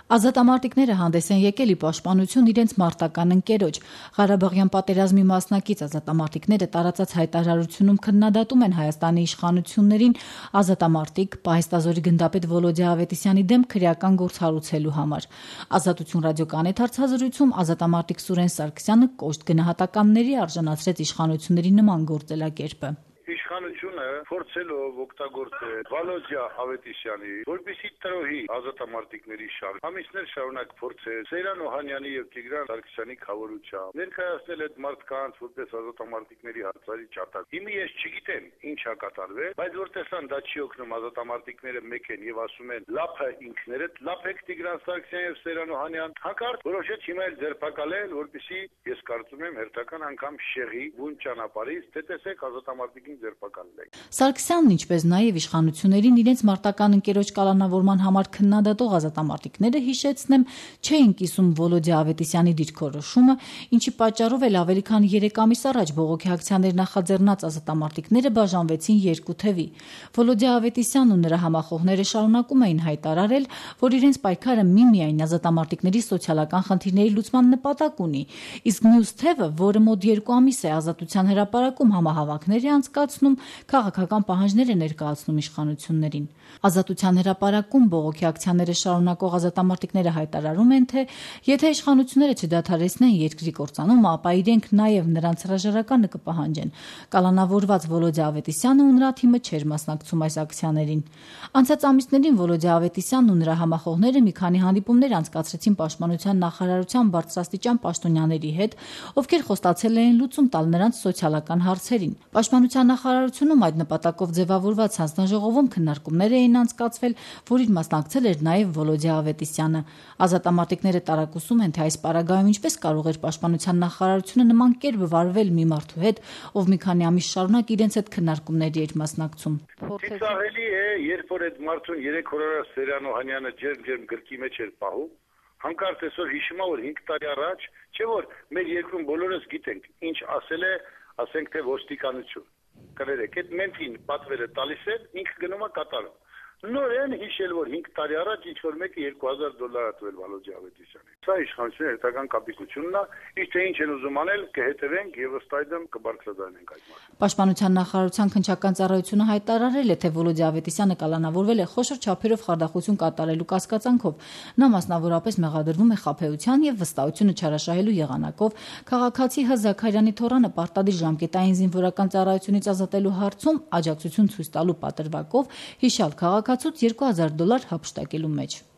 Ազատամարտիկները հանդես են եկել ի պաշտպանություն իրենց մարտական ընկերոջ։ Ղարաբաղյան պատերազմի մասնակից ազատամարտիկները տարածած հայտարարությունում քննադատում են Հայաստանի իշխանություններին ազատամարտիկ Պահեստազորի գնդապետ Վոլոդիա Ավետիսյանի դեմ քրեական գործ հարուցելու համար։ Ազատություն ռադիոկայանի հարցազրույցում ազատամարտիկ Սուրեն Սարգսյանը կոշտ գնահատականների արժանացրեց իշխանությունների նման գործելակերպը։ Իշխանությունը փորձելով օգտագործել Վոլոդիա Ավետիսյանի, որպեսզի տրոհի ազատամարտիկների շարք, ամիսներ շարունակ փորձել Սեյրան Օհանյանի եւ Տիգրան Սարգսյանի խավորությամբ ներկայացնել այդ մարդկանց որպես ազատամարտիկների հացարի ճատակ։ Հիմա ես չգիտեմ ինչ է կատարվել, բայց որ տեսան դա չի օգնում, ազատամարտիկները մեկ են եւ ասում են լափը ինքներդ, լափեք Տիգրան Սարգսյան եւ Սեյրան Օհանյան, հանկարծ որոշեց հիմա էլ ձերբակալել, որպեսզի ես կարծում եմ հերթական անգամ շեղի բուն ճանապարհից, թե տեսեք ազատամարտիկին Սարգսյանն, ինչպես նաև իշխանություններին իրենց մարտական ընկերոջ կալանավորման համար քննադատող ազատամարտիկները, հիշեցնեմ, չէին կիսում Վոլոդիա Ավետիսյանի դիրքորոշումը, ինչի պատճառով էլ ավելի քան 3 ամիս առաջ բողոքի ակցիաներ նախաձեռնած ազատամարտիկները բաժանվեցին երկու թևի։ Վոլոդիա Ավետիսյանն ու նրա համախոհները շարունակում էին հայտարարել, որ իրենց պայքարը միմիայն ազատամարտիկների սոցիալական խնդիրների լուծման նպատակ ունի, իսկ մյուս թևը, որը մոտ 2 ամիս է Ազատության հրապարակում համահավաքներ է անցկացնում, քաղաքական պահանջներ է ներկայացնում իշխանություններին։ Ազատության հրապարակում բողոքի ակցիաները շարունակող ազատամարտիկները հայտարարում են, թե եթե իշխանությունները չդադարեցնեն երկրի կործանումը, ապա իրենք նաև նրանց հրաժարականը կպահանջեն։ Կալանավորված Վոլոդիա Ավետիսյանը ու նրա թիմը չէր մասնակցում այս ակցիաներին։ Անցած ամիսներին Վոլոդիա Ավետիսյանն ու նրա համախոհները մի քանի հանդիպումներ անցկացրեցին Պաշտպանության նախարարության բարձրաստիճան պաշտոնյաների հետ, ովքեր խոստացել էին լուծում տալ նրանց սոցիալական հարցերին։ Պաշտպանության նախարարությունում այդ նպատակով ձևավորված հանձնաժողովում քննարկումներ էին անցկացվել, որին մասնակցել էր նաև Վոլոդիա Ավետիսյանը։ Ազատամարտիկները տարակուսում են, թե այս պարագայում ինչպես կարող էր Պաշտպանության նախարարությունը նման կերպ վարվել մի մարդու հետ, ով մի քանի ամիս շարունակ իրենց հետ քննարկումների էր մասնակցում։ Ծիծաղելի է, երբ որ այդ մարդուն 3 օր առաջ Սեյրան Օհանյանը ջերմ գրկի մեջ էր պահում, հանկարծ այսօր հիշում է, որ 5 տարի առաջ, չէ՞ որ մեր երկրում բոլորս գիտենք, ինչ ասել է, ասենք թե ոստիկանություն։ Կներեք, այդ մենքին պատվերը տալիս է, ինքը գնում է կատարում։ Նորեն հիշել, որ 5 տարի առաջ ինչ-որ մեկը $2000 է տվել Վոլոդիա Ավետիսյանին։ Սա իշխանությունների հերթական կապիկությունն է, իսկ թե ինչ են ուզում անել, կհետևենք եւ ըստ այդմ կբարձրաձայնենք այդ մասին։ Պաշտպանության նախարարության քննչական ծառայությունը հայտարարել է, թե Վոլոդիա Ավետիսյանը կալանավորվել է խոշոր չափերով խարդախություն կատարելու կասկածանքով։ Նա մասնավորապես մեղադրվում է խաբեության եւ վստահությունը չարաշահելու եղանակով քաղաքացի Հ. Զաքարյանի թոռանը պարտադիր ժամկետային զինվորական ծառայությունից ազատելու հարցում աջակցություն ցույց տալու պատրվակով հիշյալ քաղաքացուց $2000 հափշտակելու մեջ։